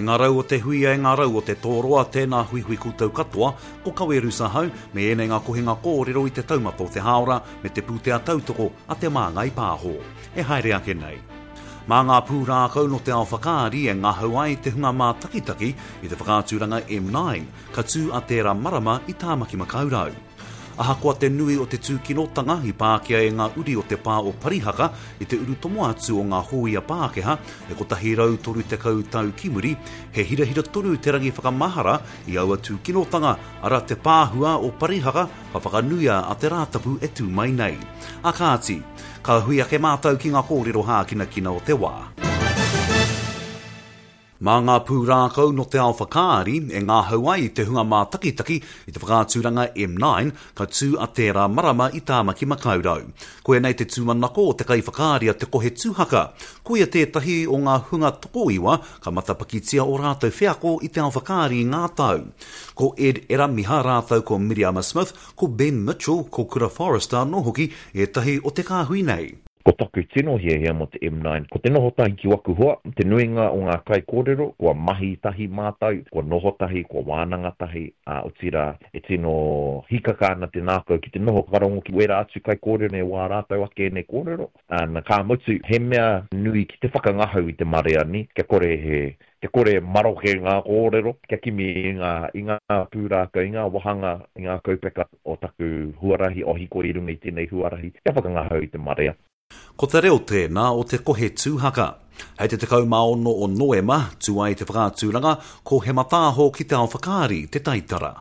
E ngā rau o te huia, e ngā rau o te tōroa, tēnā huihui koutou katoa, ko Kawe Rusa hau, me ēnei ngā kohinga kōrero i te taumata o te hāora me te pūtea tautoko a Te Māngai Pāho. E haere ake nei. Mā ngā pūrākau nō te ao whakaari e ngahau ai te hunga mātakitaki i te whakaaturanga M9, ka tū a tērā marama i Tāmaki Makaurau. Ahakoa te nui o te tūkinotanga i pākia e ngā uri o te pā o Parihaka i te urutomo atu o ngā hōia Pākehā e 130 tau ki muri, he hirahira tonu te rangi whakamahara i aua tūkinotanga, arā te pāhua o Parihaka ka whakanuia a te Rātapu e tū mai nei. A kāti, ka hui ake mātou ki ngā kōrero hākinakina o te wā. Mā ngā pūrākau nō te ao whakaari e ngahau ai te hunga mātakitaki i te whakaaturanga M9 ka tū a tērā marama i Tāmaki Makaurau. Koianei te tūmanako o te kaiwhakaari a Te Kohe Tūhaka. Koia tētahi o ngā hunga tokoiwa ka matapakitia ō rātou wheako i te ao whakaari i ngā tau. Ko Ed Eramiha rātou ko Miriama Smith, ko Ben Mitchell, ko Kura Forrester anō hoki ētahi o te kāhui nei. Ko taku tino hiahia mō te M9, ko te noho tahi ki waku hoa, te nuinga o ngā kaikōrero, kua mahi tahi mātou, kua noho tahi, kua wānanga tahi, ā, otirā, e tino hīkaka ana te ngākau ki te noho whakarongo ki wērā atu kaikōrero me wā rātou ake ēnei kōrero. Ā, na, ka mutu, he mea nui ki te whakangahau i te marea, nē, kia kore he, kia kore e maroke ngā kōrero, kia kimi i ngā, i ngā pūrākau, i ngā wāhanga, i ngā kaupeka o taku huarahi, o hikoi i runga i tēnei huarahi, kia whakangahau i te marea. Ko te reo tēnā o te kohe tūhaka. Hei te 16 o Noema, tū ai te whakaaturanga, ko He Mataaho ki te Ao Whakaari te taitara.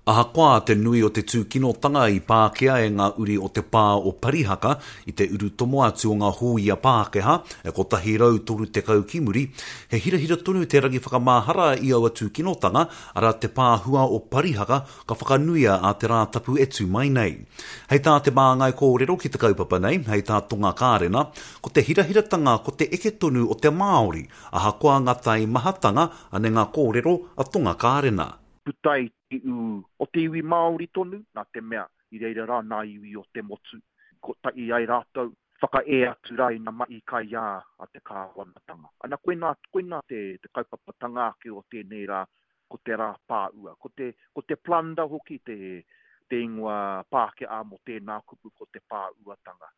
Ahakoa te nui o te tūkinotanga i pākia e ngā uri o te pā o Parihaka i te urutomo atu o ngā hōia Pākehā e 130 ki muri, he hirahira tonu te rangi whakamahara i aua tūkinotanga, arā te pāhua o Parihaka ka whakanuia a te Rātapu e tū mai nei. Hei tā te māngai kōrero ki te kaupapa nei, hei tā Tonga Kārena, ko te hirahiratanga ko te eke tonu o te Māori, ahakoa ngā taimahatanga, ane ngā kōrero a Tonga Kārena. Puta i te ū o te iwi Māori tonu, nā te mea i reira rā nā iwi o te motu, kotahi ai rātou, whakaē atu rā i ngā mahi kaiā a te kāwanatanga. Ana, koinā, koinā te, te kaupapatanga ake o tēnei rā, ko te rā pāua. Ko te, ko te plunder hoki te, te ingoa Pākehā mō tēnā kupu ko te pāuatanga.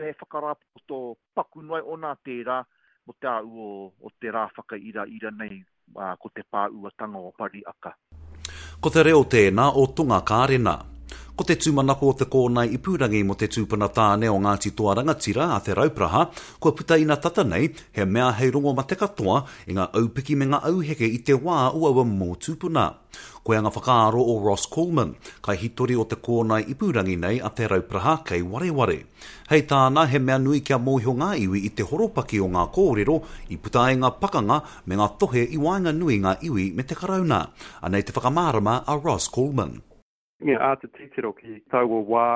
He whakarāpopoto paku noa iho nā tērā mō te āu o te rā whakairaira nei, ko te pāuatanga o Pariaka. Ko te reo tēnā o Tonga Kārena. Ko te tūmanako o te kōnae ipurangi mō te tūpuna tāne o Ngāti Toa Rangatira a Te Raupraha, kua puta ina tata nei, he mea hei rongo mate katoa i ngā aupiki me ngā auheke i te wā o aua momo tūpuna. Koia nga whakaaro o Ross Coleman, kaihitori o te kōnae ipurangi nei a Te Raupraha kei wareware. Hei tāna, he mea nui kia mōhio ngā iwi i te horopaki o ngā kōrero i puta ai ngā pakanga me ngā tohe i waenganui ngā iwi me te Karauna. Anei te whakamārama a Ross Coleman. Me āta titiro ki taua wā,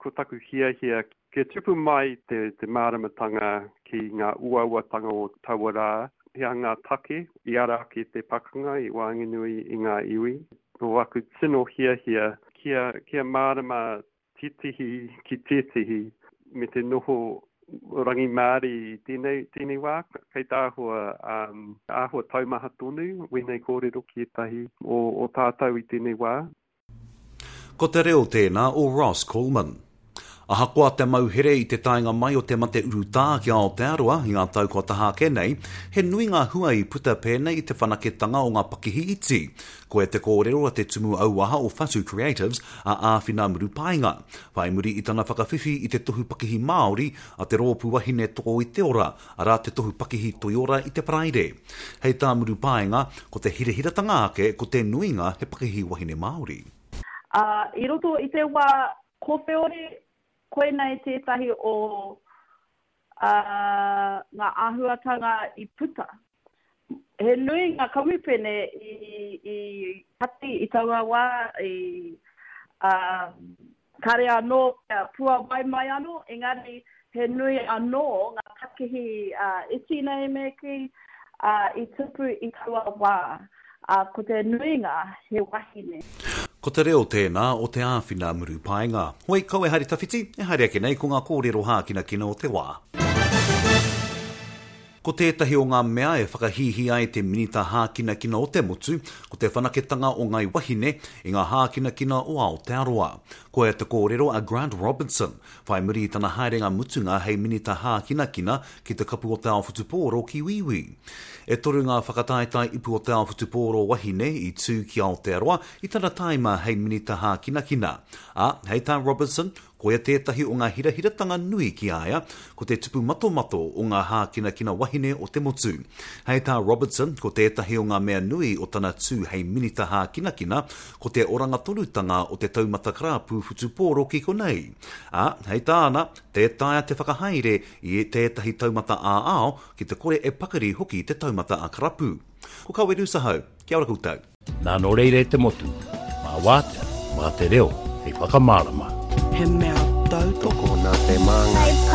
ko taku hiahia kia tupu mai te, te māramatanga ki ngā uauatanga o taua rā, he aha ngā take i ara ake te pakanga i waenganui i ngā iwi. Ko aku tino hiahia kia, kia mārama tētehi ki tētehi me te noho rangimārie i tēnei, tēnei wā, kei te āhua, um, āhua taumaha tonu wēnei kōrero ki ētahi o, o tātou i tēnei wā. Ko te reo tēnā o Ross Coleman. Ahakoa te mauhere i te taenga mai o te mate urutā ki Aotearoa i ngā tau kua taha ake nei, he nui ngā hua i puta pēnei i te whanaketanga o ngā pakihi iti. Koia te kōrero a te tumu auaha o Whatu Creatives, a Āwhina Murupaenga, whai muri i tana whakawhiwhi i te Tohu Pakihi Māori a te Rōpū Wahine Toko i te Ora, arā te Tohu Pakihi Toiora i te Paraire. Hei tā Murupaenga, ko te hirahiratanga ake ko te nuinga he pakihi wahine Māori. Ā, i roto i te wā kowheori, koinei tētahi o ngā āhuatanga i puta. He nui ngā kamupene i, i kati i taua wā, i, ā, kare anō kia puawai mai anō, engari he nui anō ngā pakihi iti nei me kī, ā, i tupu i taua wā, ā, ko te nuinga he wahine. Ko te reo tēnā o Te Āwhina Murupaenga. Hoi, kau e haere tawhiti, e haere ake nei ko ngā kōrero hākinakina o te wā. Ko tētahi o ngā mea e whakahīhī ai te Minita Hākinakina o te motu, ko te whanaketanga o Ngai Wahine i ngā hākinakina o Aotearoa. Koia te kōrero a Grant Robinson, whai muri i tana haerenga mutunga hei Minita Hākinakina ki te Kapu o te Ao Whutupōro ki Wīwī. E toru ngā whakataetae Ipu o te Ao Whutupōro Wahine i tū ki Aotearoa i tana tāima hei Minita Hākinakina. Ā, hei tā Robinson, Koia tētahi o ngā hirahiratanga nui ki a ia, ko te tupu matomato o ngā hākinakina wahine o te motu. Hei tā Robertson, ko tētahi o ngā mea nui o tana tū hei minita hākinakina, ko te oranga tonutanga o te taumata karapu whutupōro ki konei. Ā, hei tāna, tē taea te whakahaere i tētahi taumata ā-ao ki te kore e pakari hoki te taumata ā-karapu. Ko Kawerusa hau, kia ora koutou. Nā nō reira e te motu, mā wātea, mā te reo hei whakamārama. He mea tautoko. Nā te Māngai.